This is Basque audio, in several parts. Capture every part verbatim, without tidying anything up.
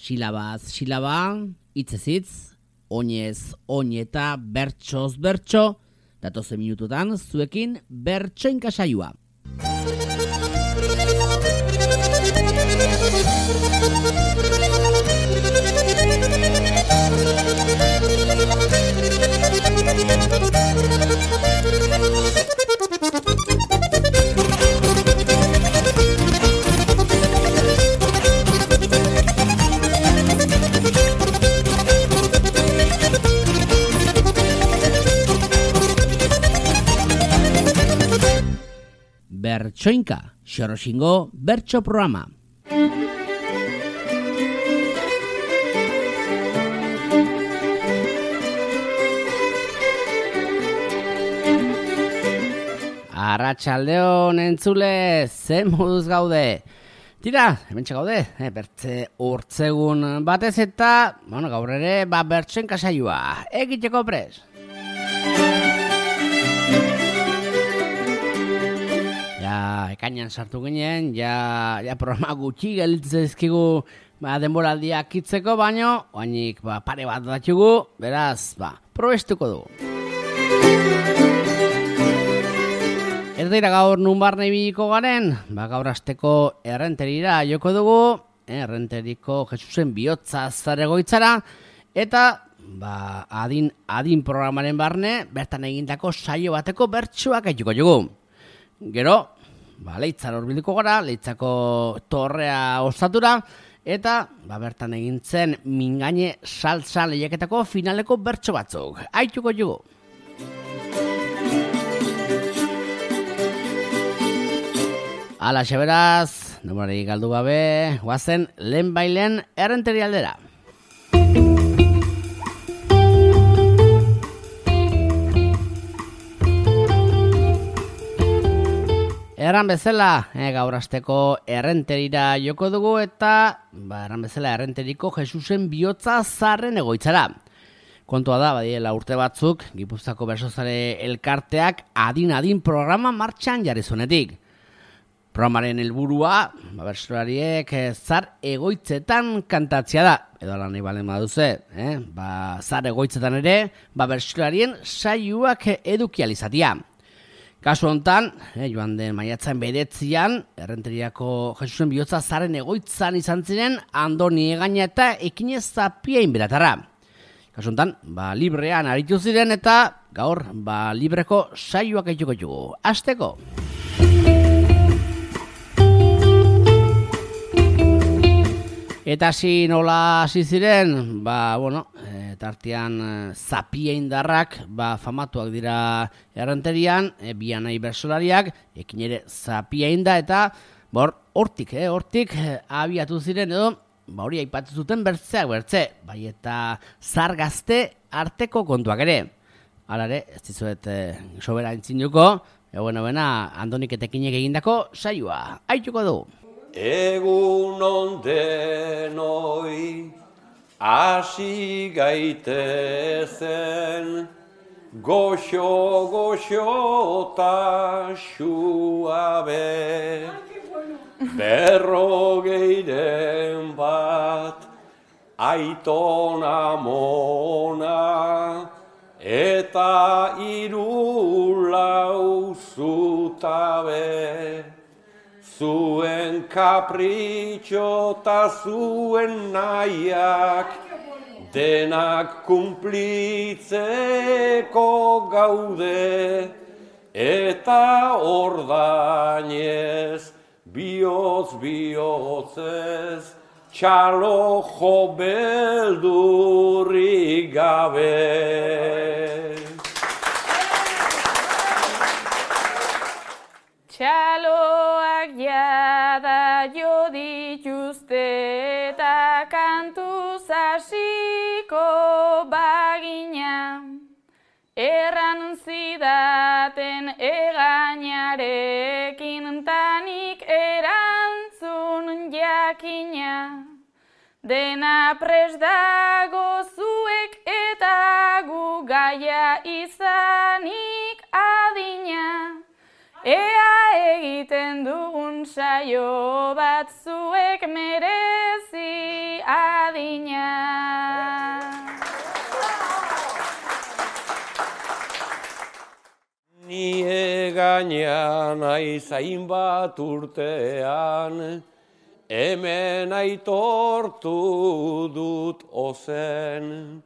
Silabaz silaba, hitzez hitz, oinez oin eta bertsoz bertso, datozen minututan zuekin bertsoinka saioa. Bertsoinka, Xoroxingo bertso programa. Arratsaldeon entzule, ze moduz gaude? Tira, hementxe gaude, eh, bertze urtzegun batez eta, bueno, gaur ere, ba, bertsoinka saioa, egiteko pres. Ja, ekainan sartu ginen, ja, ja programa gutxi gelditzezkigu ba, denboraldiak itzeko, baino, oainik ba, pare bat datugu, beraz, ba, probestuko dugu. Ez dira gaur nun barne ibiliko garen, ba, gaur asteko errenterira joko dugu, errenteriko Jesusen bihotza zaregoitzara, eta ba, adin, adin programaren barne, bertan egindako saio bateko bertsuak aituko dugu. Gero, ba, leitzar horbilduko gara, leitzako torrea osatura, eta ba, bertan egintzen mingaine saltza lehiaketako finaleko bertso batzuk. Aituko dugu. Ala xeberaz, nomorari galdu gabe, guazen lehen bailen errenteri aldera. Erran bezala, eh, gaur asteko errenterira joko dugu eta ba, erran bezala errenteriko Jesusen bihotza zarren egoitzara. Kontua da, badiela urte batzuk, Gipuzkoako Bersozale elkarteak adin-adin programa martxan jarri zuenetik. Programaren helburua, ba, bertsolariek eh, zar egoitzetan kantatzea da, edo lan nahi balen baduze, eh? ba, zar egoitzetan ere, ba, bertsolarien saioak eduki alizatia. Kasu hontan, eh, joan den maiatzan bedetzian, errenteriako Jesusen bihotza zaren egoitzan izan ziren Andoni Egaña eta Ekinez Zapien beratarra. Kasu hontan, ba, librean aritu ziren eta gaur ba, libreko saioak aituko dugu. Hasteko! Eta hasi nola hasi ziren, ba, bueno, e, tartean e, Zapia indarrak, ba, famatuak dira errenterian, e, bianai bersolariak, ekin ere Zapia inda, eta bor, hortik, eh, hortik e, abiatu ziren edo, ba, hori aipatu zuten bertzeak bertze, bai eta zar gazte arteko kontuak ere. Hala ere, ez dizuet e, sobera entzinuko, egoen hobena Andonik eta Ekinek egindako saioa, aituko du. Egun ondenoi hasi gaitezen, goxo goxo ta suabe, berrogeiren bat aiton amona, eta hiru lau zutabe. Zuen kapritxo ta zuen nahiak denak kumplitzeko gaude, eta ordainez bihotz bihotzez txalo jo beldurrik gabe. Txaloak jada jo dituzte eta kantuz hasiko bagina, erran zidaten Egañarekin tanik erantzun jakina, dena prest dago zuek eta gu gaia izanik adina. Ea egiten dugun saio bat zuek merezi adina. adina. Ni egaina naiz hainbat urtean, hemen aitortu dut ozen.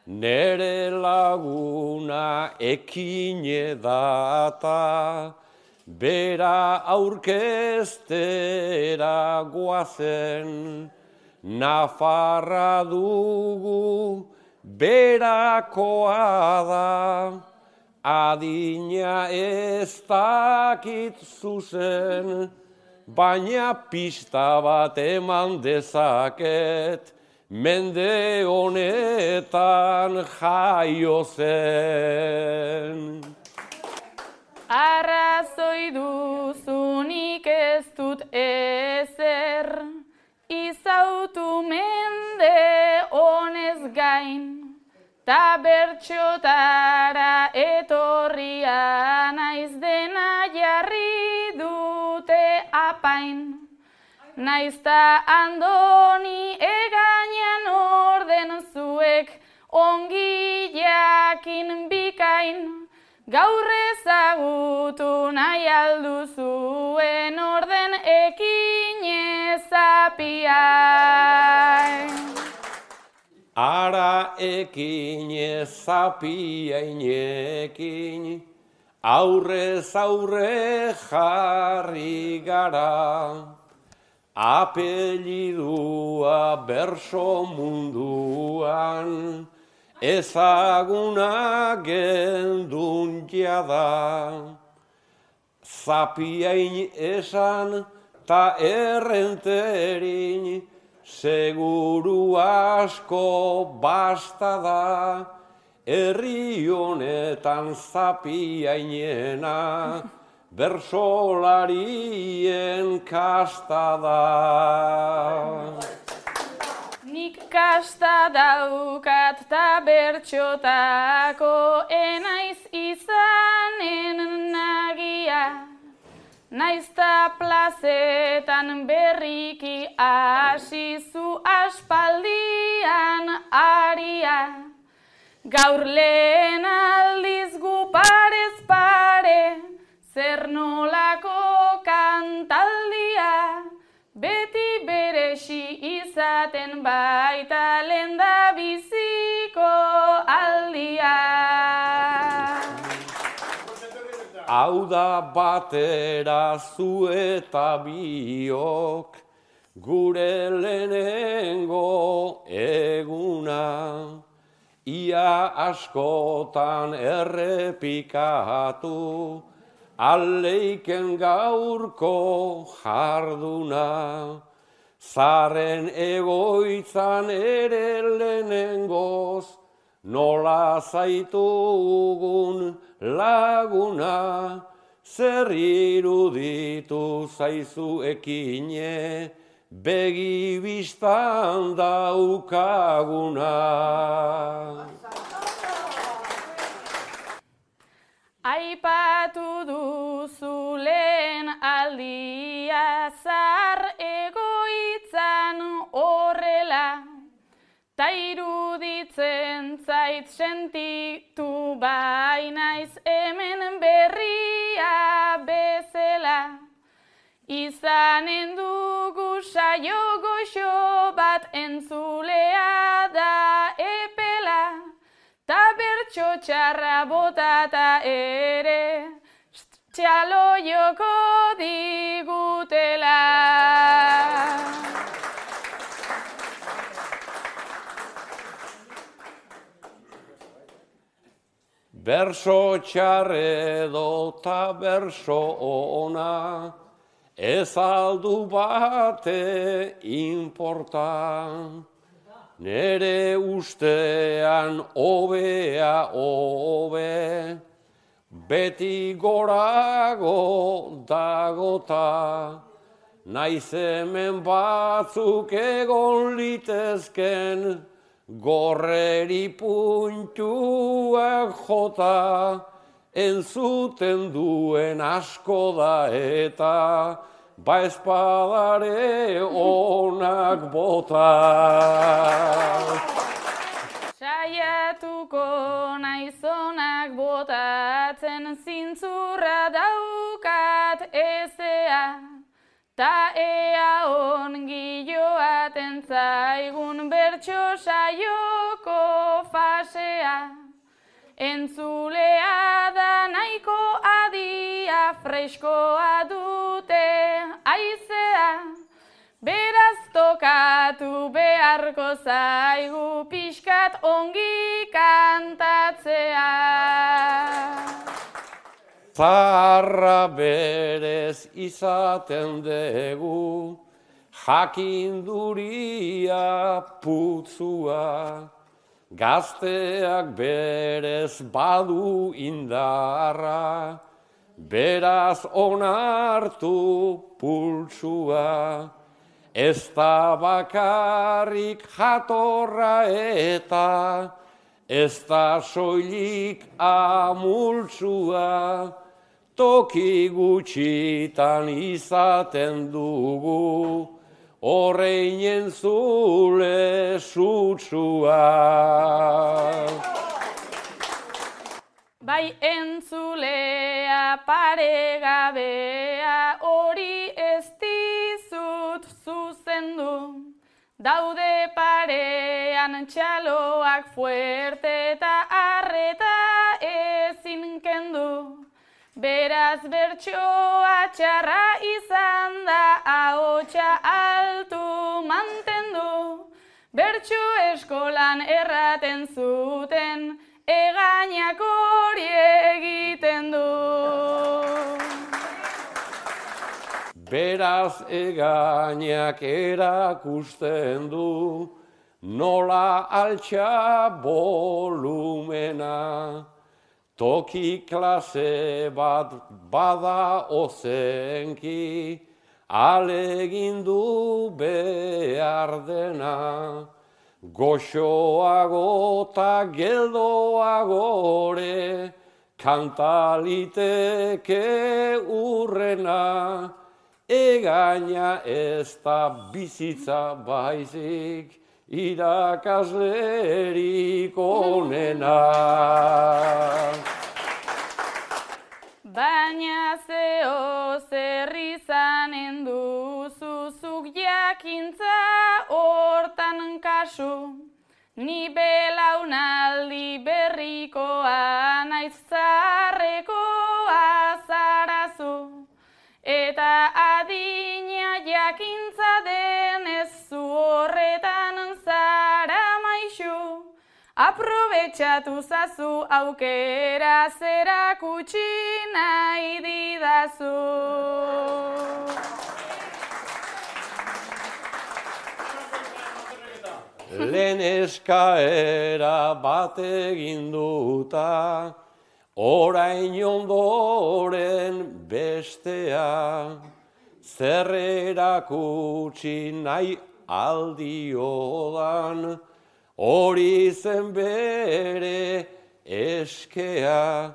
Nere laguna ekine data, bera aurkeztera guazen. Nafarra dugu berakoa da, adina ez dakit zuzen, baina pista bat eman dezaket, mende honetan jaio zen. Arrazoi duzunik ez dut ezer, izautu mende honez gain, ta bertxotara etorria naiz dena jarri dute apain. Naizta andoni egainan orden zuek ongi jakin bikain, gaur ezagutu nahi alduzuen orden ekin ezapiain. Ara ekin ezapiainekin, aurrez aurre jarri gara. Apellidua berso munduan, ezaguna gendun jada. Zapiain esan ta errenterin, seguru asko basta da, herri honetan zapiainena, bersolarien kasta da. Nik kasta daukat ta bertxotako enaiz izanen nagia. Naizta plazetan berriki asizu aspaldian aria. Gaur lehen aldiz gu parez pare, zer nolako kantaldia, beti beresi izaten baita lenda biziko aldia. Hau da batera zu eta biok, gure lehenengo eguna. Ia askotan errepikatu, aleiken gaurko jarduna. Zaren egoitzan ere lehenengoz, nola zaitugun laguna, zer iruditu zaizu ekine, begi bistan daukaguna. Aipatu duzu lehen aldia zar egoitzan horrela, ta iruditzen zait sentitu bainaiz hemen berria bezala. Izanen dugu saio goxo bat entzulea da epela, ta bertso txarra botata ere, txalo joko digutela. Berso txarredo ta berso ona, ez aldu bate inporta. Nere ustean hobea hobe, beti gorago dagota. Naiz hemen batzuk egon litezken, gorreri puntuak jota, entzuten duen asko da eta ba espadare onak bota. Saiatuko naizonak botatzen zintzurra daukat ezea, ta ea ongi joaten zaigun bertso saioko fasea. Entzulea da nahiko adia, freskoa dute aizea, beraz tokatu beharko zaigu pixkat ongi kantatzea. Zaharra berez izaten dugu, jakinduria putzua, gazteak berez badu indarra, beraz onartu pultsua. Ez da bakarrik jatorra eta ez da soilik amultsua, toki gutxitan izaten dugu, horreinen zule sutsua. Bai entzulea paregabea, hori ez dizut zuzendu. Daude parean txaloak fuerte eta arreta ezin kendu. Beraz bertsoa txarra izan da, ahotsa altu mantendu. Bertso eskolan erraten zuten, egainak hori egiten du. Beraz egainak erakusten du, nola altxa volumena. Toki klase bat bada ozenki, alegindu behar dena. Goxoago eta geldoagore, kantaliteke urrena. Egaina ez da bizitza baizik, irakaslerik onena. Baina zeo zer izanen duzu zuk jakintza hortan kasu, ni belaunaldi berrikoa naiz zaharrekoa zarazu, eta adina jakintza denez zu horretan zara maixu. Aprobetxatu zazu aukera zerakutsi nahi didazu. Lehen eskaera bat egin duta, orain ondoren bestea. Zer erakutsi nahi aldiodan, hori zen bere eskea.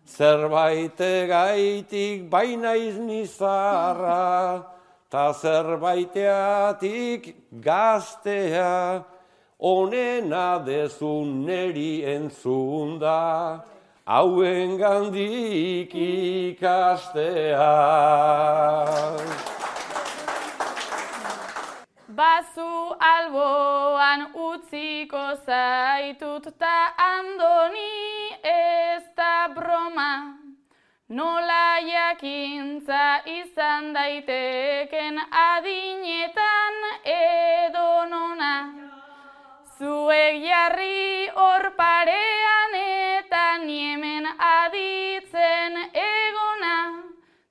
Zerbaitegatik bainaiz nizarra, ta zerbaiteatik gaztea. Onena dezun neri entzunda, hauen gandik ikastea. Bazu alboan utziko zaitut ta andoni ez da broma. Nola jakintza izan daiteken adinetan edo nona. Zuek jarri hor parean eta niemen aditzen egona.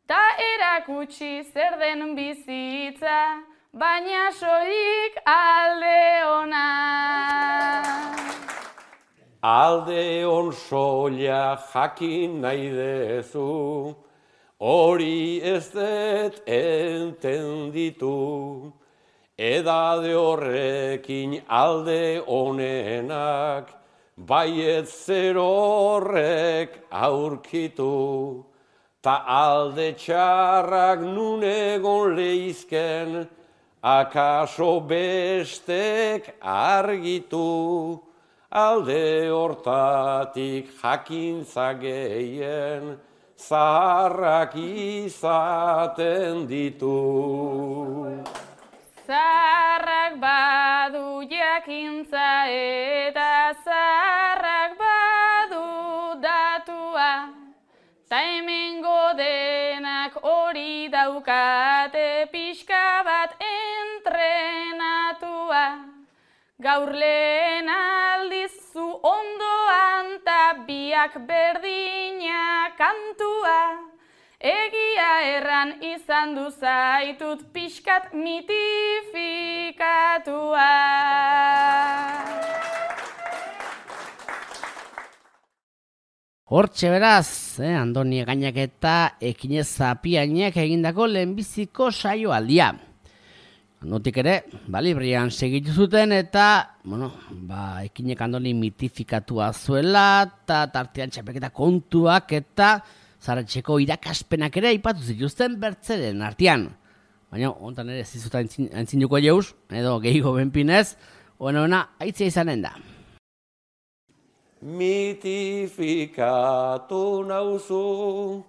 Ta erakutsi zer den bizitza, baina soilik alde ona. Alde on soila jakin nahi dezu, hori ez dut entenditu. Edade horrekin alde onenak, baiet zer horrek aurkitu. ta alde txarrak nun egon leizken, akaso bestek argitu, alde hortatik jakintza gehien, zaharrak izaten ditu. Zaharrak badu jakintza eta zaharrak badu datua, ta hemengo denak hori daukate pixka bat entrenatua. Gaur lehen aldiz zu ondoan ta biak berdina kantua, egia erran izan du zaitut pixkat mitifikatua. Hortxe beraz, eh, Andoni Egainak eta Ekinez Zapiainek egindako lehenbiziko saioaldia. Notik ere, ba, librian segitu zuten eta, bueno, ba, Ekinek Andoni mitifikatua zuela, eta tartean txapelketa kontuak eta Zaratxeko irakaspenak ere aipatu zituzten bertzeren artean. Baina, ontan ere ez dizuta entzinuko jeuz, edo gehiago benpinez, ona ona, aitzia izanen da. Mitifikatu nauzu,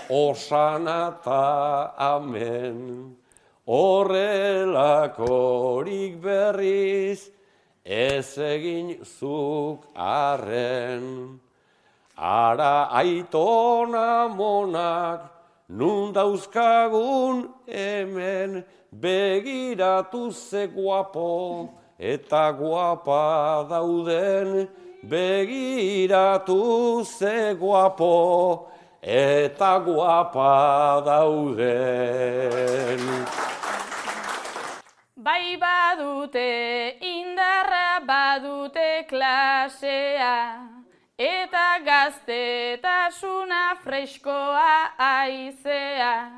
osana ta amen, horrelakorik berriz, ez egin zuk arren. Ara aitona monak, nun dauzkagun hemen, begiratu ze guapo, eta guapa dauden, begiratu ze guapo, eta guapa dauden. Bai badute indarra, badute klasea, eta gaztetasuna freskoa aizea.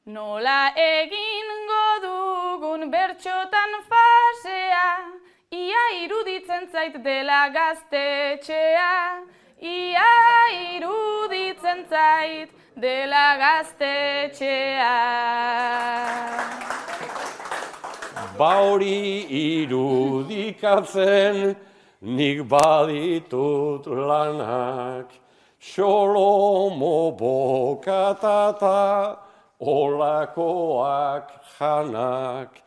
Nola egingo dugun bertxotan fasea, ia iruditzen zait dela gaztetxea, ia iruditzen zait dela gaztetxea. Ba hori irudikatzen, nik baditut lanak, xolomo bokatata, olakoak janak,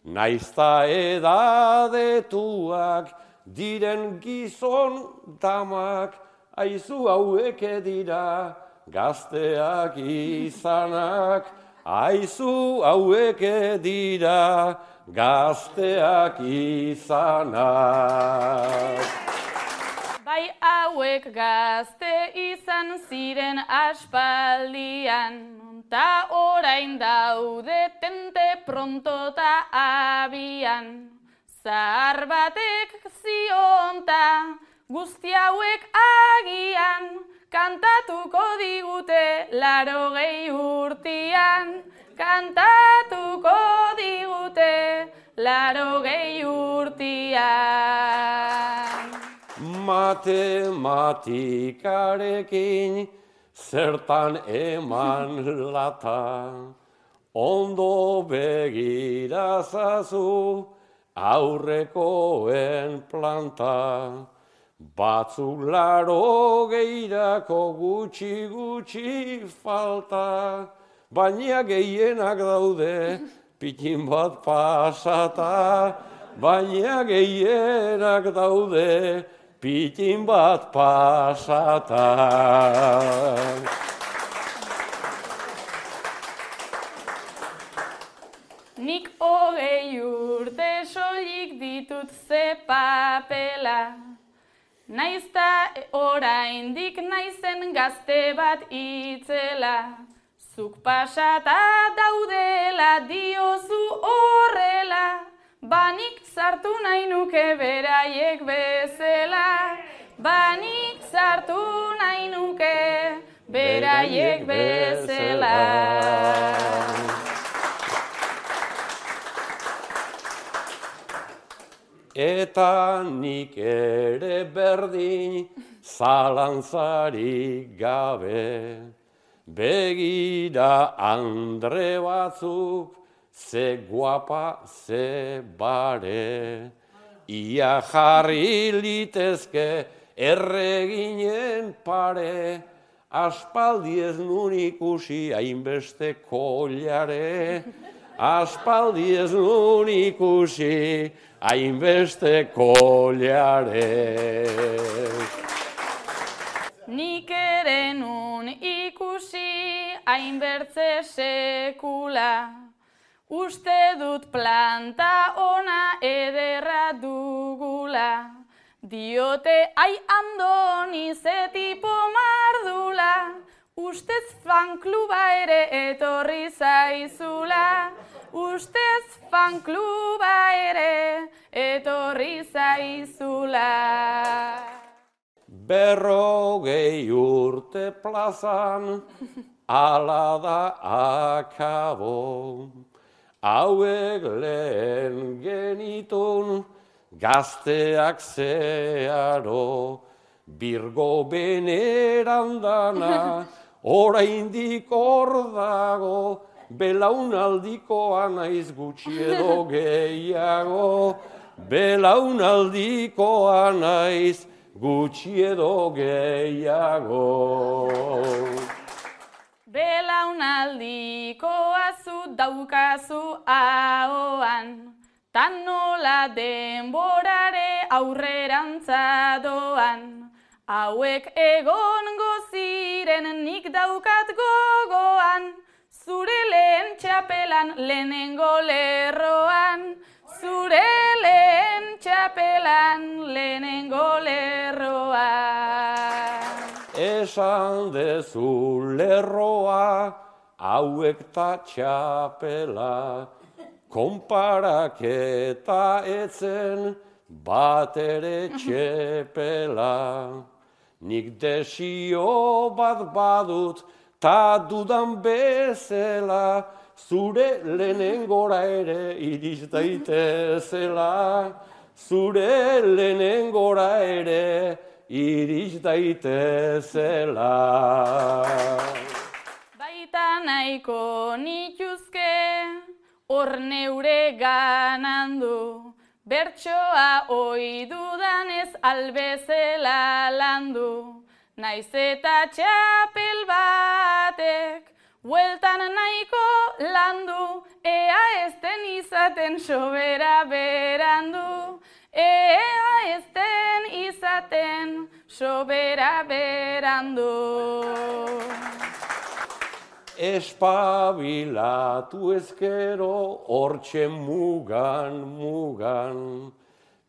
naizta edadetuak, diren gizon damak, aizu hauek dira, gazteak izanak, aizu hauek dira, gazteak izanak. Bai hauek gazte izan ziren aspaldian, ta orain daude tente pronto ta abian. Zahar batek zionta guzti hauek agian, kantatuko digute larogei urtian, kantatuko digute larogei urtian. Matematikarekin zertan eman lata, ondo begirazazu aurrekoen planta. Batzuk larogeirako gutxi gutxi falta, baina gehienak daude pikin bat pasata, baina gehienak daude pikin bat pasata. Nik hogei urte soilik ditut ze papela, naizta oraindik naizen gazte bat itzela. Zuk pasata daudela diozu horrela, banik sartu nahi nuke beraiek bezala, banik sartu nahi nuke beraiek bezala. Eta nik ere berdin zalantzarik gabe, begira andre batzuk, ze guapa, ze bare, ia jarri litezke erreginen pare, aspaldi ez nun ikusi hainbeste kollare, aspaldi ez nun ikusi hainbeste kollare. Nik ere nun ikusi hainbertze sekula, uste dut planta ona ederra dugula, diote ai Andoni ze tipo mardula, ustez fankluba ere etorri zaizula, ustez fankluba ere etorri zaizula. Berrogei urte plazan, ala da akabo, hauek lehen genitun, gazteak zeharo, birgo beneran dana, oraindik hor dago, belaunaldikoa naiz gutxi edo gehiago, belaunaldikoa naiz gutxi edo gehiago. Belaunaldikoa zu daukazu ahoan, tan nola denborare aurrerantza doan, hauek egongo ziren nik daukat gogoan, zure lehen txapelan lehenengo lerroan, zure lehen txapelan lehenengo lerroan. Esan dezu lerroa, hauek ta txapela, konparaketa etzen bat ere txepela. Nik desio bat badut, ta dudan bezela, zure lehenengora ere iriz daitezela, zure lehenengora ere iriz daitezela. Baita nahiko nituzke, hor neure ganandu, bertsoa ohi dudanez albezela landu, naiz eta txapel batek, bueltan nahiko landu, ea ez den izaten sobera berandu, ea ez den izaten sobera berandu. Espabilatu ezkero hortxe mugan, mugan,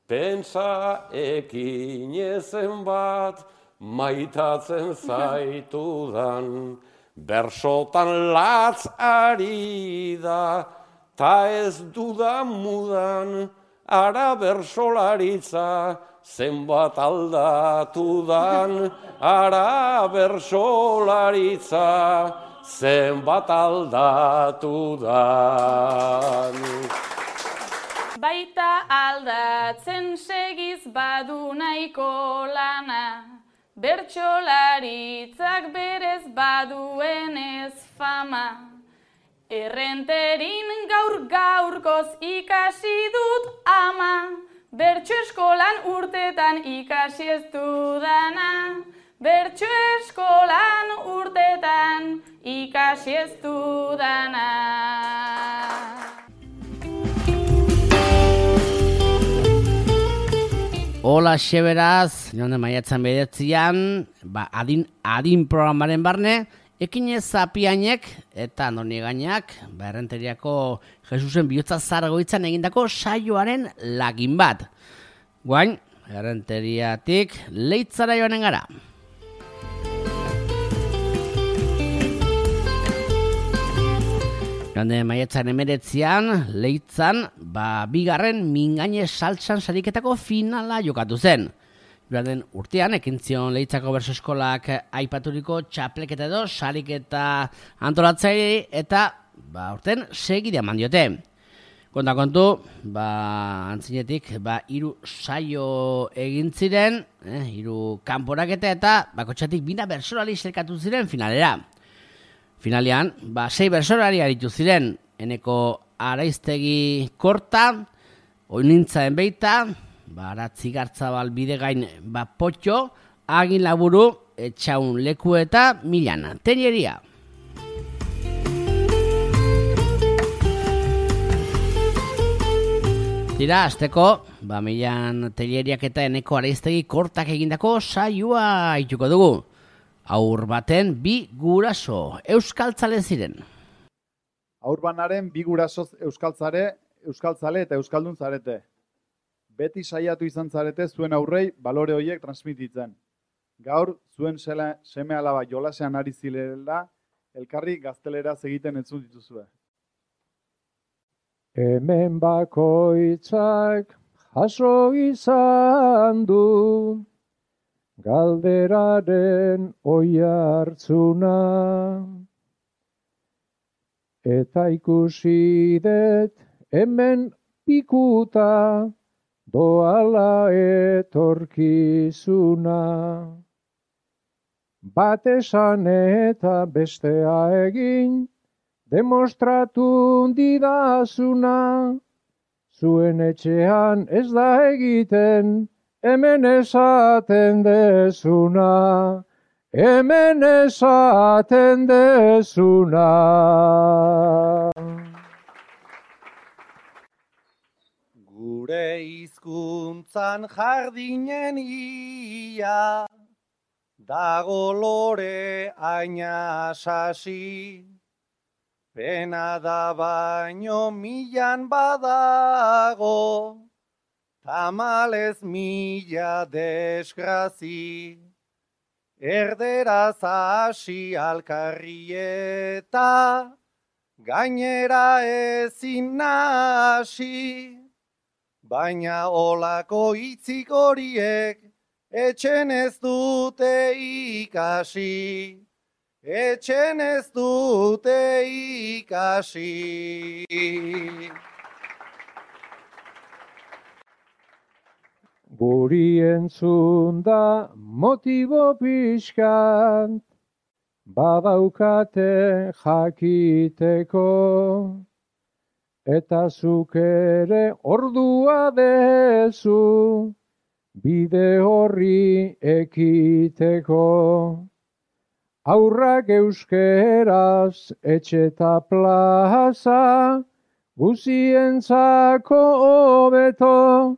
pentsa ekin ezen bat maitatzen zaitudan, bersotan latz ari da, ta ez dudan mudan, ara bersolaritza zenbat aldatudan, ara bersolaritza zenbat aldatudan. Baita aldatzen segiz badu nahiko lana, bertsolaritzak berez baduenez fama. Errenterin gaur gaurkoz ikasi dut ama, bertso eskolan urtetan ikasi ez dudana, bertso eskolan urtetan ikasi ez dudana. Hola xeberaz, nionde maiatzan bedetzian, ba, adin, adin programaren barne, ekinez zapiainek eta Andoni Gainak, ba, Errenteriako Jesusen bihotza zargoitzan egindako saioaren lagin bat. Guain, Errenteriatik Leitzara joanen gara. Joande maiatzan emeretzian, Leitzan, ba, bigarren mingaine saltsan sariketako finala jokatu zen. Joan urtean, ekintzion Leitzako berso eskolak aipaturiko txapleketa edo sariketa antolatzaile eta ba, urten segide eman diote. Konta kontu, ba, antzinetik, ba, hiru saio egin ziren, eh, hiru kanporaketa eta bakotxatik bina bersolari zerkatu ziren finalera. Finalean, ba, sei bersolari aritu ziren, Eneko Araiztegi Korta, Oinintzaen Beita, ba, Aratzi Gartzabal Bidegain ba, Potxo, Agin Laburu, Etxaun Leku eta Milana Telleria. Tira, azteko, ba, Milan Telleriak eta Eneko Araiztegi Kortak egindako saioa ituko dugu. Aur baten bi guraso, euskaltzale ziren. Aurbanaren bi gurasoz euskaltzare, euskaltzale eta euskaldun zarete. Beti saiatu izan zarete zuen aurrei balore horiek transmititzen. Gaur, zuen seme alaba jolasean ari zirela, elkarri gazteleraz egiten entzun dituzue. Hemen bakoitzak jaso izan du, galderaren oihartzuna, eta ikusi dut hemen pikuta doala etorkizuna. Bat esan eta bestea egin, demostratu didazuna, zuen etxean ez da egiten, hemen esaten dezuna, hemen esaten dezuna. Gure hizkuntzan jardinen ia, dago lore aina sasi, pena da baino milan badago, tamalez mila desgrazi, erderaz hasi alkarrieta, gainera ezin nasi, baina olako hitzik horiek etxen ez dute ikasi, etxen ez dute ikasi. Guri entzun da motibo pixkat, badaukate jakiteko, eta zuk ere ordua dezu, bide horri ekiteko. Aurrak euskeraz etxeta plaza, guzientzako hobeto,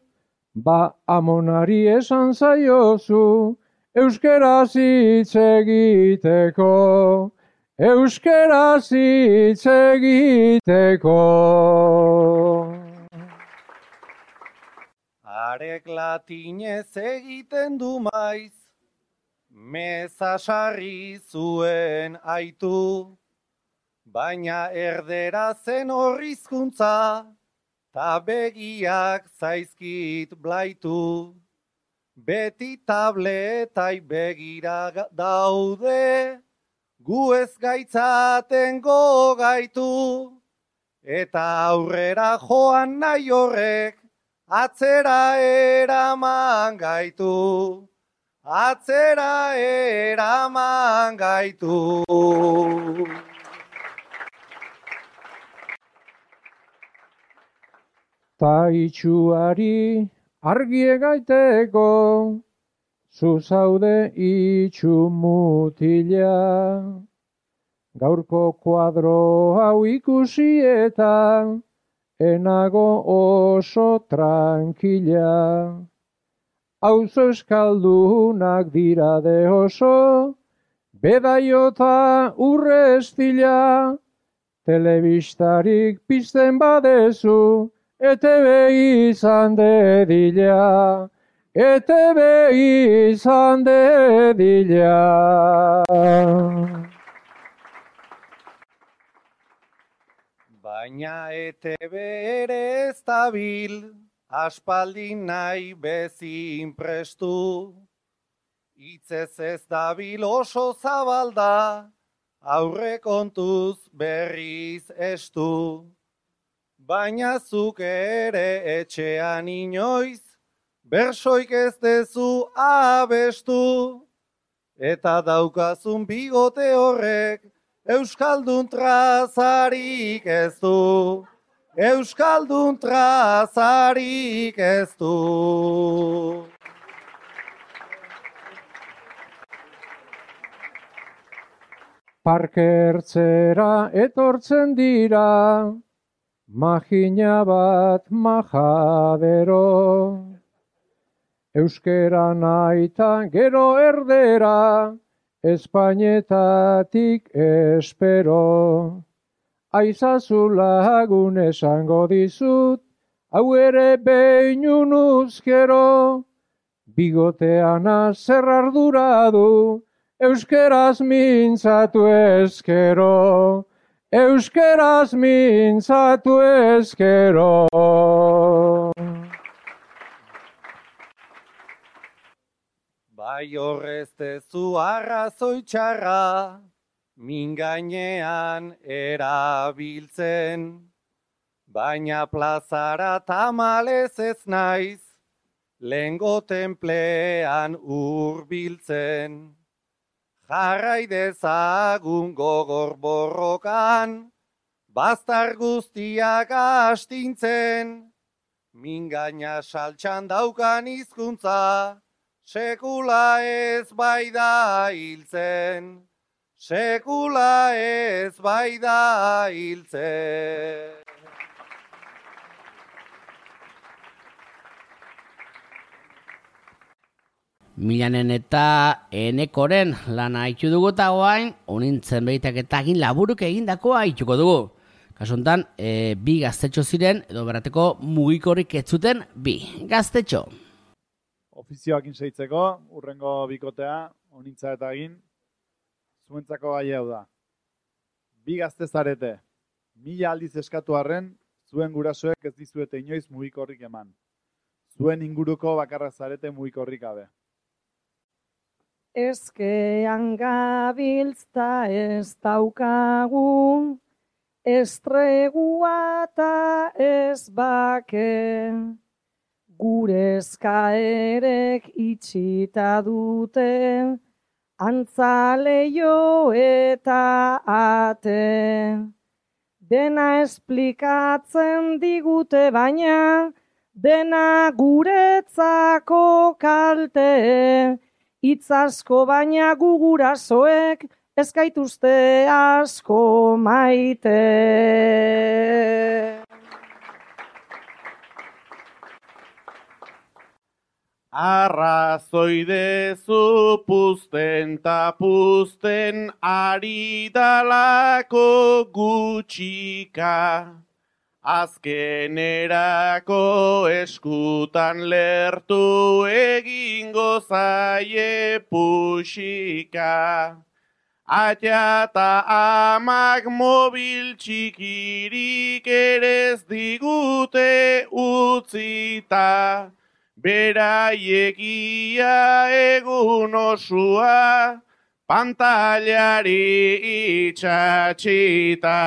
ba amonari esan zaiozu, euskeraz hitz egiteko, euskeraz hitz egiteko. Arek latinez egiten du maiz, meza sarri zuen aitu, baina erdera zen horrizkuntza, ta begiak zaizkit blaitu. Beti tabletai begira daude, gu ez gaitzaten gogaitu, eta aurrera joan nahi horrek, atzera eraman gaitu, atzera eraman gaitu. Ta itxuari argie gaiteko, zu zaude itxu mutila. Gaurko kuadro hau ikusi eta enago oso tranquila. Auzo eskaldunak dira de oso, bedaiota urre estila. Telebistarik pizten badezu, E T B izan dedila, E T B izan dedila. Baina E T B ere ez dabil, aspaldi nahi bezin prestu. Hitzez ez dabil oso zabalda, aurrekontuz berriz estu. Baina zuk ere etxean inoiz, bersoik ez dezu abestu, eta daukazun bigote horrek Euskaldun trazarik ez du, Euskaldun trazarik ez du. Parkertzera etortzen dira, magina bat majadero. Euskera naita gero erdera, Espainetatik espero. Aizazu lagun esango dizut, hau ere behinun uzkero. Bigotean zer ardura du, euskeraz mintzatu ezkero. Euskeraz mintzatu ezkero. Bai horrez tezu arrazoi txarra, min gainean erabiltzen, baina plazara tamalez ez naiz, lehengo tenplean hurbiltzen. Jarrai dezagun gogor borrokan, baztar guztiak astintzen, min gaina saltxan daukan hizkuntza, sekula ez bai da hiltzen, sekula ez bai da hiltzen. Milanen eta Enekoren lana haitu dugu eta guain, honintzen behitak eta egin laburuk egindakoa haituko dugu. Kasu honetan, e, bi gaztetxo ziren, edo berateko mugikorrik ez zuten bi gaztetxo. Ofizioakin seitzeko, urrengo bikotea, honintza eta egin, zuentzako gai hau da. Bi gazte zarete, mila aldiz eskatu arren, zuen gurasoek ez dizuete inoiz mugikorrik eman. Zuen inguruko bakarra zarete mugikorrik gabe. Ezkean gabiltzta ez daukagu, estregua eta ez bake. Gure eskaerek itxita dute, antzaleio eta ate. Dena esplikatzen digute baina, dena guretzako kalte. Itz asko baina gugurasoek ez gaituzte asko maite. Arrazoi dezu puzten ta puzten ari dalako gutxika. Azkenerako eskutan lertu egingo zaie puxika. Atea ta amak mobil txikirik ere ez digute utzita. Beraiek ia egun osua pantailari itxatxita.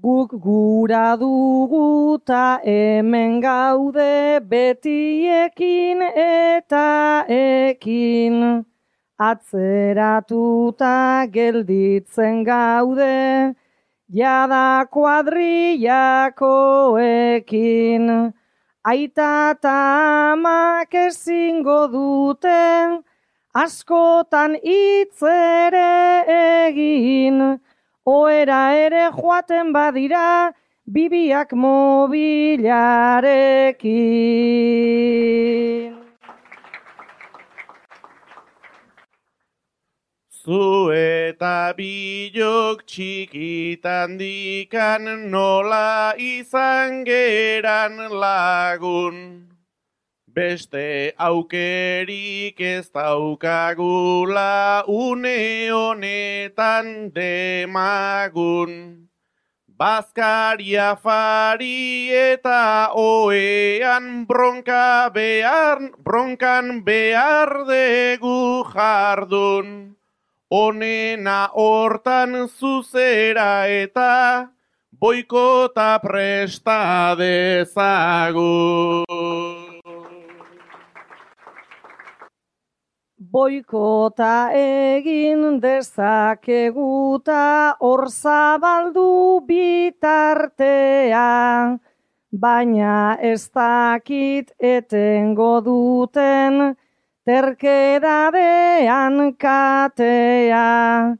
Guk gura dugu ta hemen gaude betiekin eta ekin. Atzeratuta gelditzen gaude, jada kuadrillakoekin. Aita ta amak ezingo dute, askotan hitz ere egin. Oera ere joaten badira, bibiak mobilarekin. Zu eta bilok txikitan dikan nola izan geran lagun. Beste aukerik ez daukagula une honetan demagun. Bazkaria fari eta oean bronka behar, bronkan behar degu jardun. Honena hortan zuzera eta boikota presta dezagun. boikota egin dezakeguta hor zabaldu bitartea, baina ez dakit etengo duten terkedadean katea.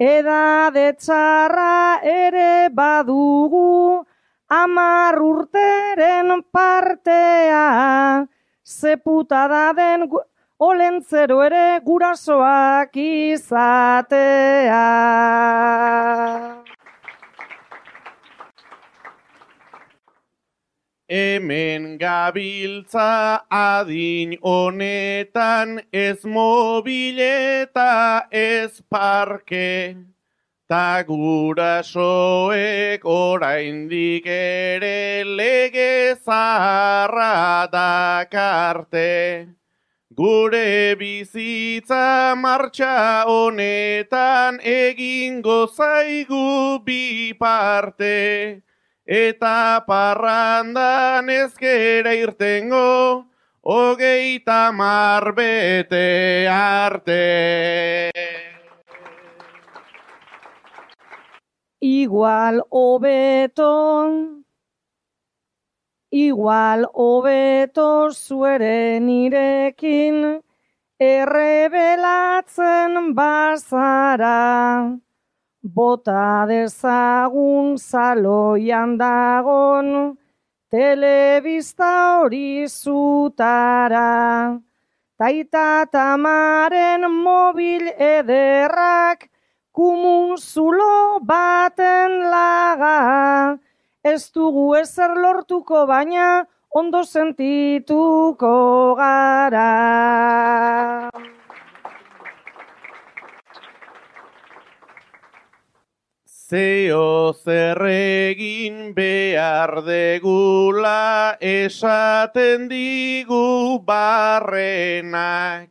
Edade txarra ere badugu hamar urteren partea, ze putada den olentzero ere gurasoak izatea. Hemen gabiltza adin honetan ez mobileta ez parke, ta gurasoek oraindik ere lege zaharra dakarte. Gure bizitza martxa honetan egingo zaigu bi parte, eta parrandan ezkera irtengo hogeita hamar bete arte. Igual hobeto, igual hobeto zueren irekin errebelatzen bazara. Bota dezagun zaloian dagon telebista hori zutara. Taita tamaren mobil ederrak kumun zulo baten laga. Ez dugu ezer lortuko baina ondo sentituko gara. Zeo zer egin behar degula esaten digu barrenak.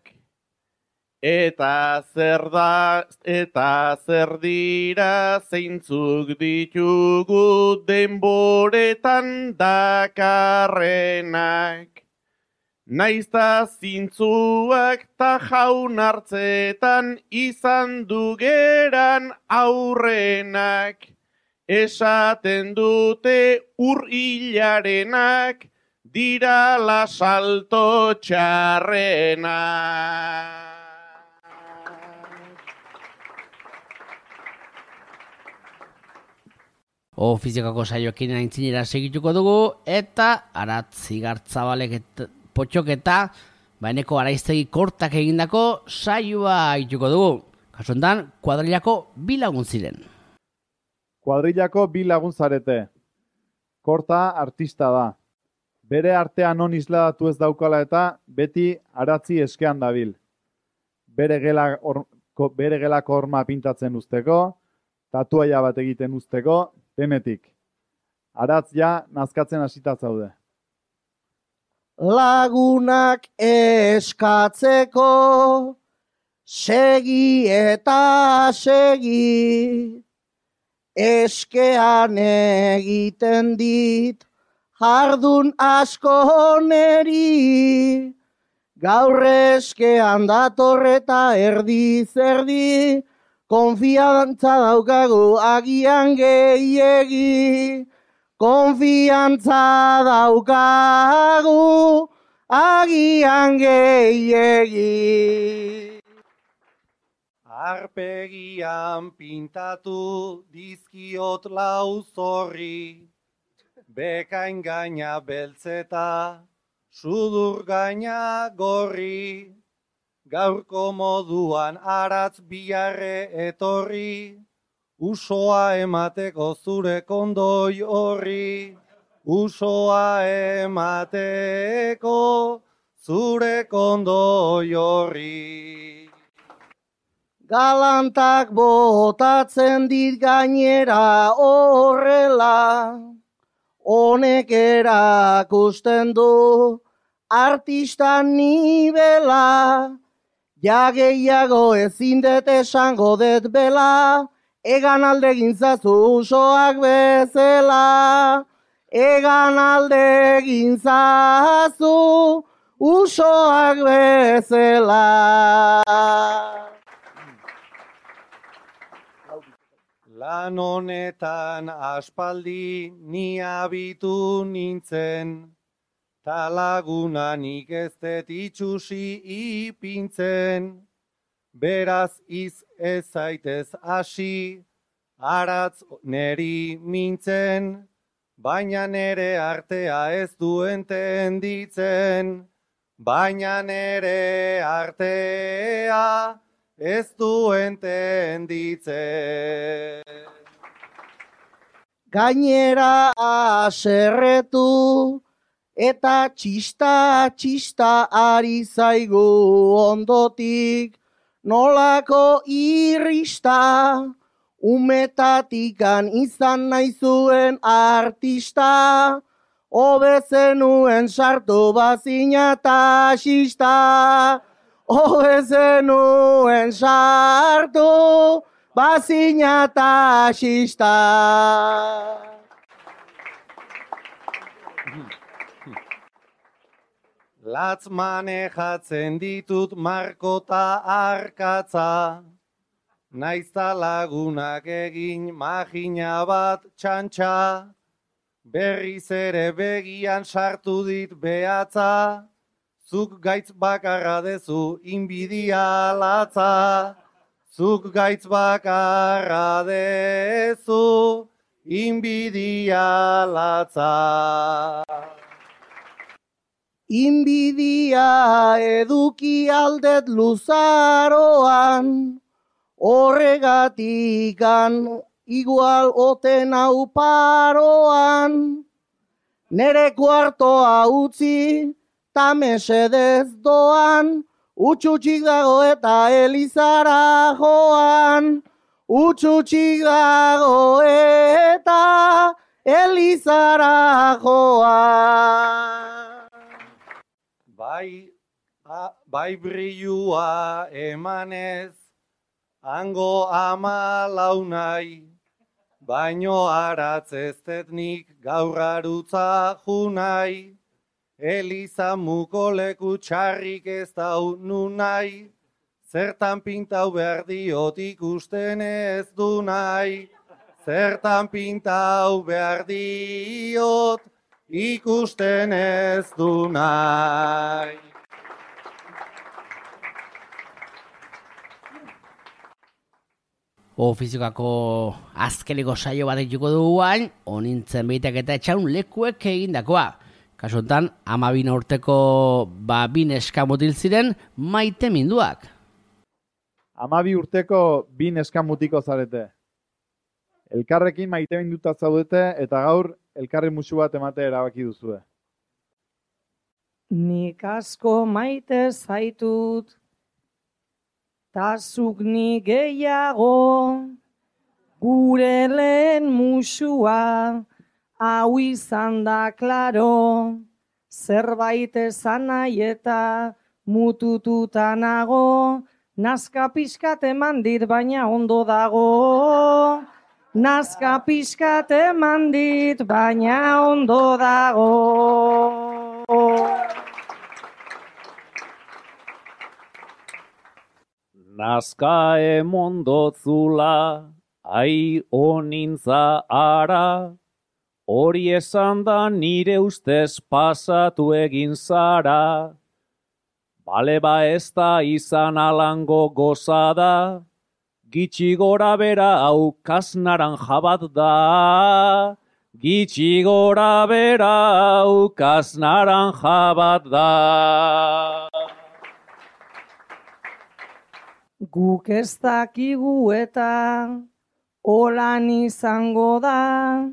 Eta zer da, eta zer dira zeintzuk ditugu denboretan dakarrenak. Naizta zintzuak ta jaun hartzetan izan dugeran aurrenak. Esaten dute ur hilarenak dira la salto txarrenak. O fizikako saioekin aintzinera segituko dugu, eta Arat Zigartzabalek eta potxoketa, baineko araiztegi kortak egindako saioa ituko dugu. Kasu hontan, kuadrilako bi lagun ziren. Kuadrilako bi lagun zarete. Korta artista da. Bere artean non isladatu ez daukala eta beti aratzi eskean dabil. Bere gela or, ko, bere gelako horma pintatzen usteko, tatuaia bat egiten usteko, denetik. Aratz ja nazkatzen hasita zaude. Lagunak eskatzeko, segi eta segi, eskean egiten dit, jardun asko neri, gaur eskean datorreta erdiz erdi, konfiantza daukagu agian gehiegi. Konfiantza daukagu agian gehiegi. Arpegian pintatu dizkiot lau zorri, bekain gaina beltzeta, sudur gaina gorri, gaurko moduan aratz biharre etorri, usoa emateko zure kondoi horri, usoa emateko zure kondoi horri. Galantak botatzen dit gainera horrela, honek erakusten du artista nibela, ja gehiago ezin dut esango dut bela, egan alde gintzazu usoak bezala, egan alde gintzazu usoak bezala. Lan honetan aspaldi ni abitu nintzen, ta lagunanik ez dut itxusi ipintzen. Beraz iz ez zaitez hasi, aratz neri mintzen, baina nere artea ez du entenditzen. Baina nere artea ez du entenditzen. Gainera aserretu eta txista txista ari zaigu ondotik, nolako irrista, umetatikan izan naizuen artista, hobezenuen sartu bazina taxista, hobezenuen sartu bazina taxista. Latz manejatzen ditut markota arkatza, naizta lagunak egin magina bat txantxa, berriz ere begian sartu dit behatza, zuk gaitz bakarra dezu inbidia latza, zuk gaitz bakarra dezu inbidia latza. Inbidia eduki aldet luzaroan, horregatikan igual oten hau paroan. Nere kuartoa utzi, ta mesedez doan, utxutxik dago eta elizara joan. Utxutxik dago eta elizara joan. Bai, a, bai brilua emanez, hango ama launai, baino aratz ez detnik gaur arutza junai, Eliza muko leku txarrik ez dau nunai, zertan pintau behar diot ikusten ez du nahi, zertan pintau behar diot ikusten ez du nahi. Ofiziokako azkeneko saio bat dituko dugu hain, onintzen behitek eta etxaun lekuek egindakoa. Kasuntan, amabin urteko ba bin eskamutil ziren maite minduak. Amabi urteko bin eskamutiko zarete. Elkarrekin maite minduta zaudete eta gaur elkarri musu bat emate erabaki duzue. Nik asko maite zaitut, ta zuk ni gehiago, gure lehen musua, hau izan da klaro, zerbait esan nahi eta mutututa nago, nazka pixkat eman dit baina ondo dago. Nazka pixkat eman dit, baina ondo dago. Nazka emondotzula, ai onintza ara, hori esan da nire ustez pasatu egin zara. Bale ba ez da izan alango gozada, gitxi gora bera hau kasnaranja bat da. Gitxi gora bera hau kasnaranja bat da. Guk ez dakigu eta holan izango da,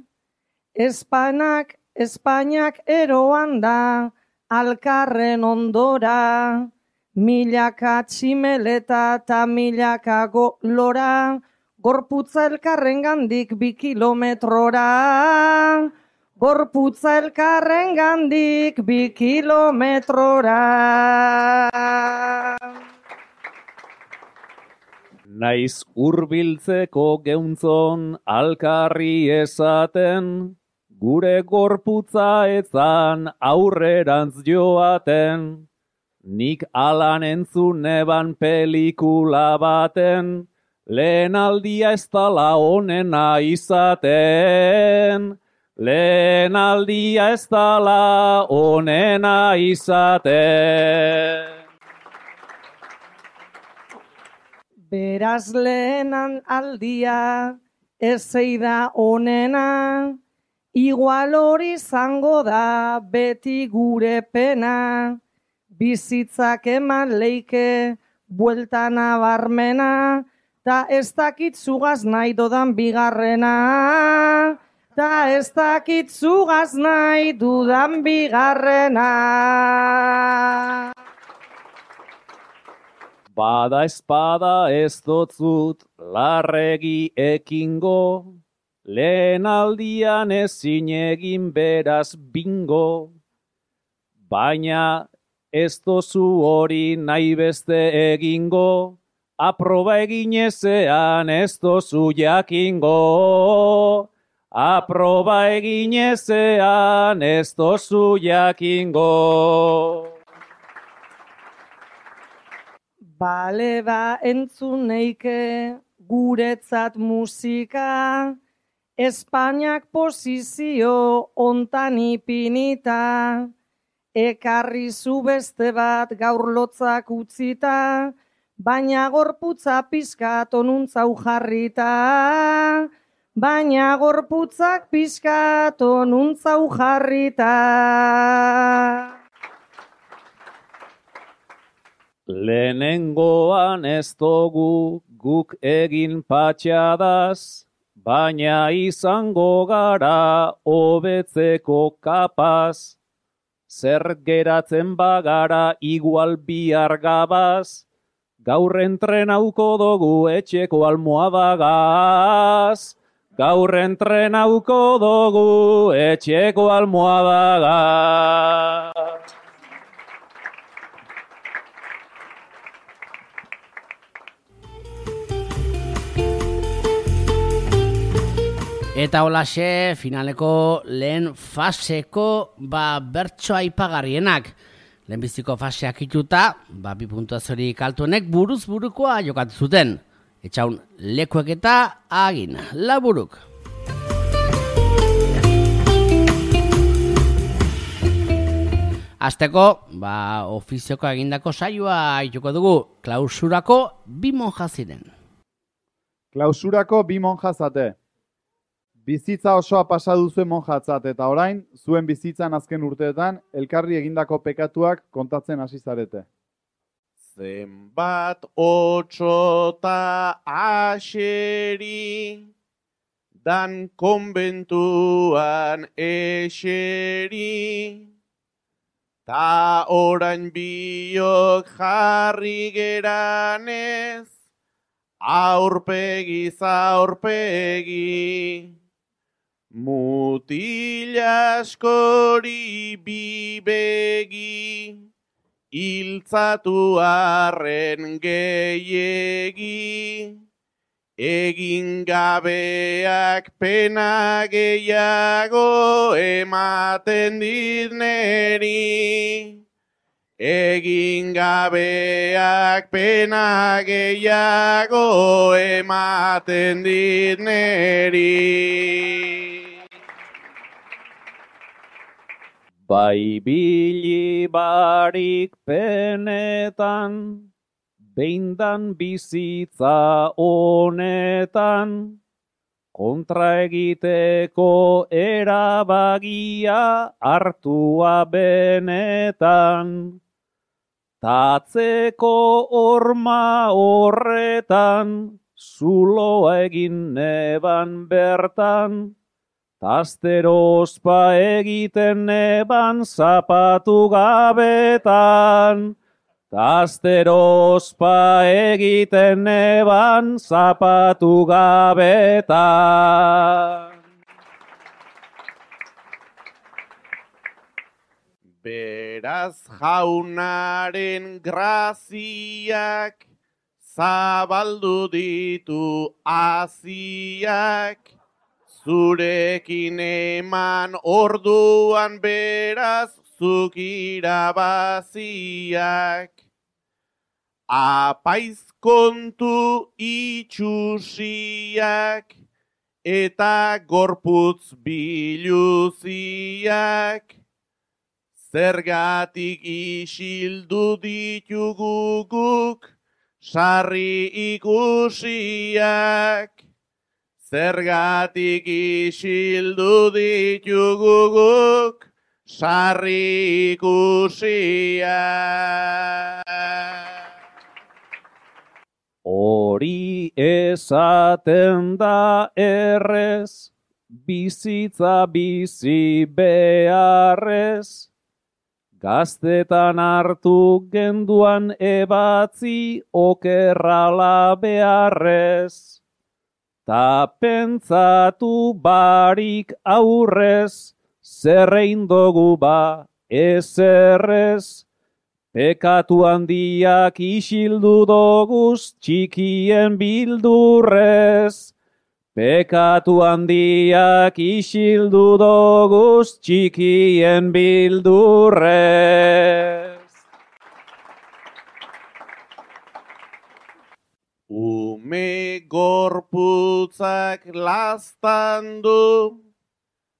Espanak, Espainiak eroan da, alkarren ondora, milaka tximeleta eta milaka lora, gorputza elkarren gandik bi kilometrora. Gorputza elkarren gandik bi kilometrora. Naiz hurbiltzeko geuntzon alkarri esaten, gure gorputza etzan aurrerantz joaten. nik alan entzun neban pelikula baten, lehen aldia ez dala onena izaten. Lehen aldia ez dala onena izaten. Beraz lehen aldia ez zeida onena, igual hori izango da beti gure pena, bizitzak eman leike buelta nabarmena, ta ez dakit zugaz nahi dodan bigarrena, ta ez dakit zugaz nahi dudan bigarrena. Bada espada ez dotzut larregi ekingo, lehen aldian ezin egin beraz bingo, baina ez dozu hori nahi beste egingo, aproba egin ezean ez dozu jakingo, aproba egin ezean ez dozu jakingo. Bale ba entzun neike guretzat musika, Espainiak posizio ontan ipinita, ekarri zu beste bat gaur lotzak utzita, baina gorputza pizkat onuntzau jarrita, baina gorputzak pizkat onuntzau jarrita. Lehenengoan ez dugu guk egin patxadaz, baina izango gara hobetzeko kapaz. Zer geratzen bagara igual bihar gabaz, gaur entrenauko dugu etxeko almohadagaz. Gaur entrenauko dugu etxeko almohadagaz. Eta holaxe, finaleko lehen faseko ba, bertso aipagarrienak. Lehenbiziko faseak ituta, ba, bi puntuaziorik altuenek buruz burukoa jokatu zuten. Etxaun lekuek eta agin laburuk. Azteko, ba, ofizioko egindako saioa ituko dugu, klausurako bi monja ziren. Klausurako bi monja zate. Bizitza osoa pasa duzu monjatzat eta orain, zuen bizitzan azken urteetan, elkarri egindako pekatuak kontatzen hasi zarete. Zenbat otxota aseri, dan konbentuan eseri, ta orain biok jarri geranez, aurpegiz aurpegi. Mutil askori bibegi, iltzatu arren gehiegi, egin gabeak pena gehiago ematen dit neri. Egin gabeak pena gehiago ematen dit neri. Bai bili barik penetan, behindan bizitza honetan, kontra egiteko erabagia hartua benetan. Tatzeko horma horretan, zuloa egin neban bertan, tastero ospa egiten neban zapatu gabetan. Tastero ospa egiten neban zapatu gabetan. Beraz jaunaren graziak, zabaldu ditu aziak, zurekin eman orduan beraz zuk irabaziak. Apaiz kontu itxusiak eta gorputz biluziak. Zergatik isildu ditugu guk sarri ikusiak. Zergatik isildu ditugu guk sarri ikusiak. Hori esaten da errez, bizitza bizi beharrez, gaztetan hartu genduan ebatzi okerrala beharrez. Ta pentsatu barik aurrez, zerrein dugu ba ezerrez, pekatu handiak isildu doguz txikien bildurrez. Pekatu handiak isildu doguz txikien bildurrez. Ume gorputzak laztandu,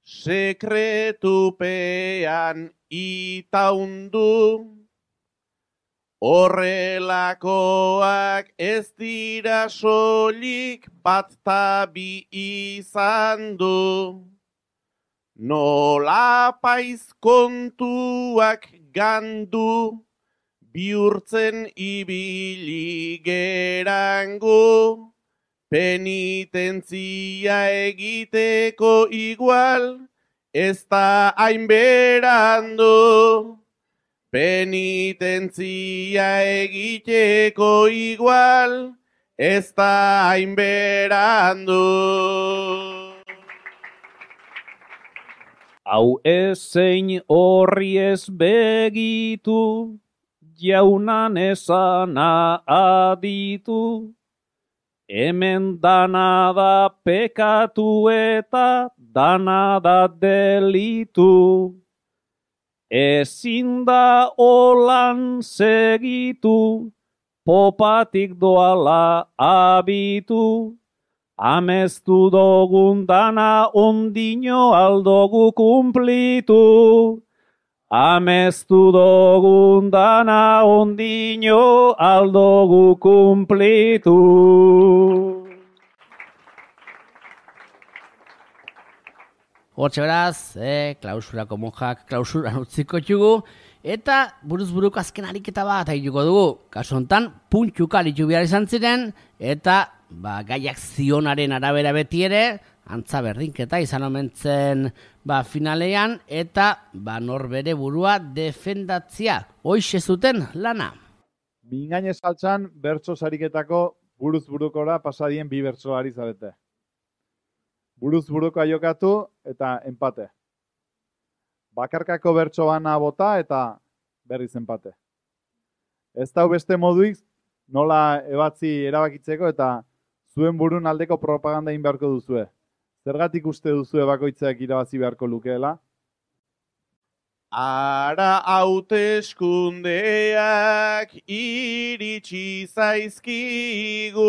sekretupean itaundu. Horrelakoak ez dira soilik bat ta bi izan du. Nola paiz kontuak gandu, bihurtzen ibili gerango. Penitentzia egiteko igual, ez da hain berandu. Penitentzia egiteko igual, ez da hain berandu. Hau ezein horri ez begitu, jaunan esana aditu. Hemen dana da pekatu eta dana da delitu. Ezin da olan segitu, popatik doala abitu. Amestu dogun dana ondino aldogu kumplitu. Amestu dogun dana ondino aldogu kumplitu. Hortxe beraz, eh, klausurako monjak klausuran utziko txugu, eta buruz buruko azken ariketa bat aituko dugu. Kasu hontan, puntxuka litu behar izan ziren, eta ba, gaiak zionaren arabera beti ere, antza berdinketa izan omentzen ba, finalean, eta ba, norbere burua defendatzia. Hoixe zuten lana. Mingainez saltzan, bertso sariketako buruz burukora pasadien bi bertso ari zarete. Buruz burukoa jokatu eta empate. Bakarkako bertso bana bota eta berriz empate. Ez dau beste moduik nola ebatzi erabakitzeko eta zuen burun aldeko propaganda egin beharko duzue. Zergatik uste duzue bakoitzak irabazi beharko lukeela? Ara hauteskundeak iritsi zaizkigu.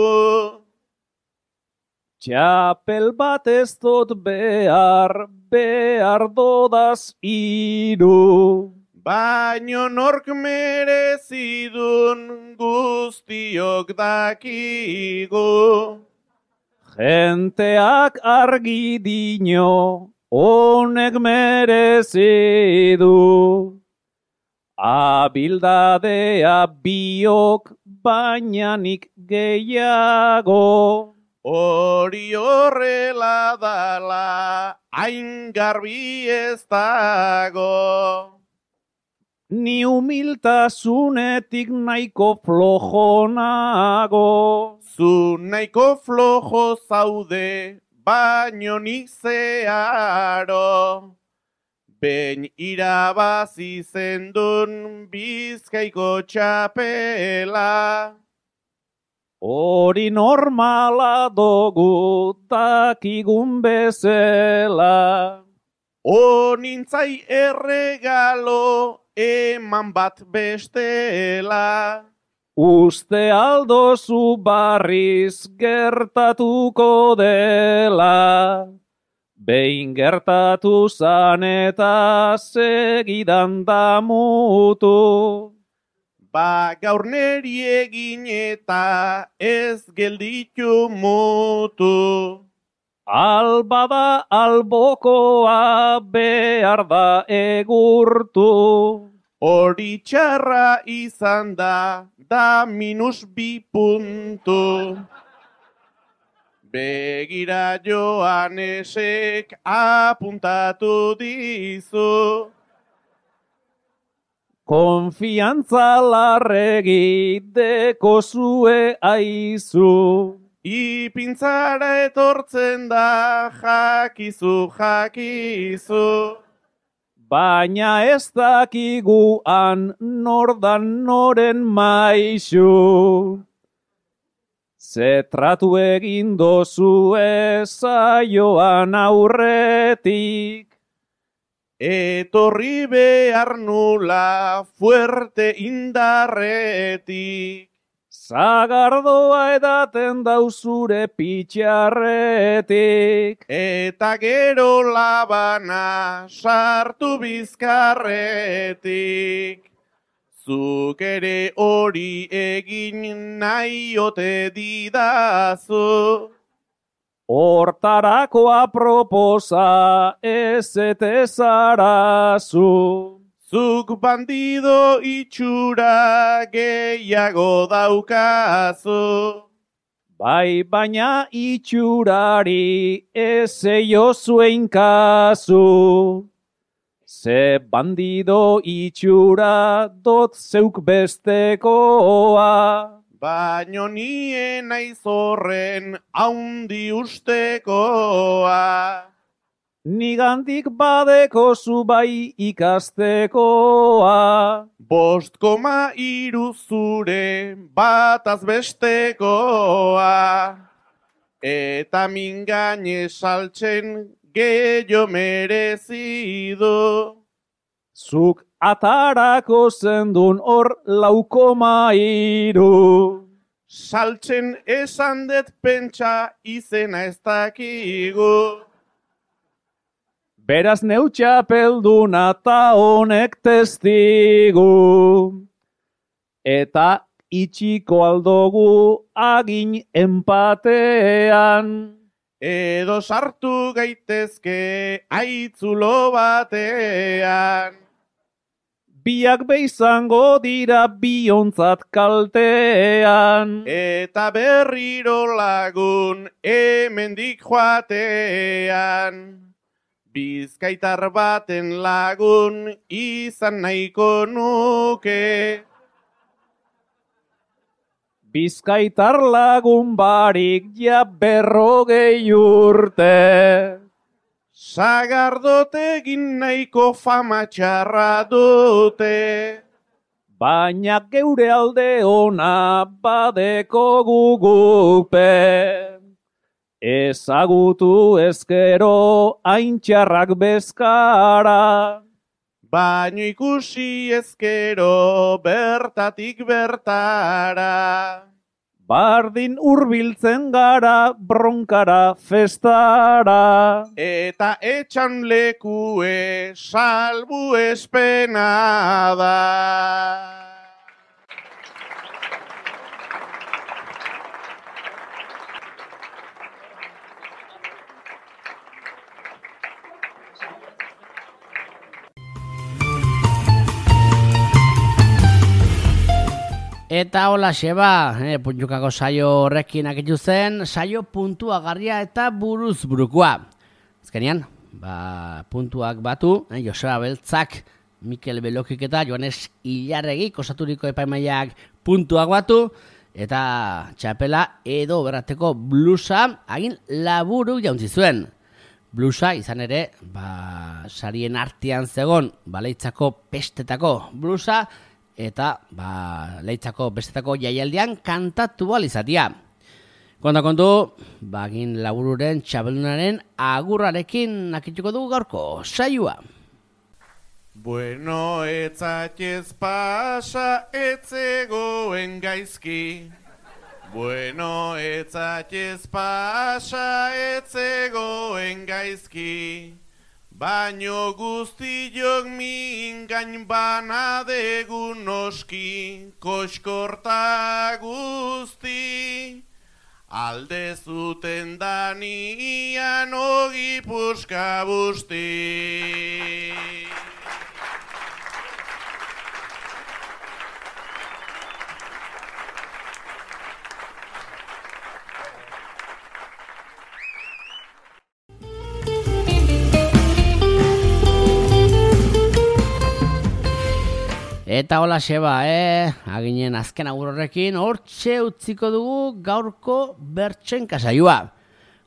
Txapel bat ez dut behar, behar dodaz iru. Baino nork merezidun guztiok dakigu. Jenteak argi dino, honek merezidu. Abildadea biok, baina nik gehiago. Hori horrela dala, hain garbi ez dago. Ni humiltasunetik nahiko flojonago. Zu nahiko flojo zaude, baino nik zeharo. Ben irabazi zendun Bizkaiko txapela. Hori normala dugu dakigun bezala. Onintzai erregalo eman bat bestela. Uste aldozu barriz gertatuko dela. Behin gertatu zan eta segidan damutu. Ba gaur neri egin eta ez gelditu mutu. Albada albokoa behar da egurtu. Hori txarra izan da, da minus bi puntu. Begira Joanesek apuntatu dizu. Konfiantza larregi deko zue aizu. Ipintzara etortzen da, jakizu, jakizu. Baina ez dakiguan nordan noren maixu. Ze tratu egin dozue saioan aurretik. Etorri behar nula fuerte indarretik. Zagardoa edaten dauzure pitxarretik. Eta gero labana sartu bizkarretik. Zuk ere hori egin nahi ote didazu. Hortarako aproposa ez ete zarazu. Zuk bandido itxura gehiago daukazu. Bai, baina itxurari ez eio zuen kasu. Ze bandido itxura dot zeuk bestekoa. Baino nien naiz horren haundi ustekoa. Nigandik badeko zu bai ikastekoa. Bost koma iru zure bataz bestekoa. Eta mingaine saltzen gehiago merezidu. Zuk atarako zendun hor laukoma iru. Saltzen esan det pentsa izena ez dakigu. Beraz neutxapelduna ta honek testigu. Eta itxiko aldogu agin empatean. Edo sartu gaitezke aitzulo batean. Biak beizango dira biontzat kaltean. Eta berriro lagun hemendik joatean. Bizkaitar baten lagun izan nahiko nuke. Bizkaitar lagun barik ja berrogei urte. Sagardote egin nahiko fama txarra dute. Baina geure alde ona badeko gugupe. Ezagutu ezkero hain txarrak bezkara. Baino ikusi ezkero bertatik bertara. Bardin hurbiltzen gara bronkara festara. Eta etxan lekue salbu espena da. Eta hola xeba, eh, puntukako saio horrekin akitu zen, saio puntuagarria eta buruz burukoa. Azkenean, ba, puntuak batu, eh, Joseba Beltzak, Mikel Belokik eta Joanes Ilarregik osaturiko epaimaiak puntuak batu, eta txapela edo berrateko blusa agin laburu jauntzi zuen. Blusa izan ere, ba, sarien artean zegon, baleitzako pestetako blusa, eta ba, Leitzako bestetako jaialdian kantatu alizatia. Konta kontu, bagin labururen txabelunaren agurrarekin nakituko dugu gaurko saioa. Bueno, etzatez pasa, etzegoen gaizki. Bueno, etzatez pasa, etzegoen gaizki. Baino guztiok mingain bana degun noski, koskorta guzti. Alde zuten danian ogi puska busti. Eta hola xeba, eh? Aginen azken agur horrekin, hortxe utziko dugu gaurko bertsen kasaioa.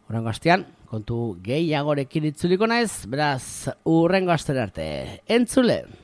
Horrengo astean, kontu gehiagorekin itzuliko naiz, beraz, urrengo astera arte. Entzule!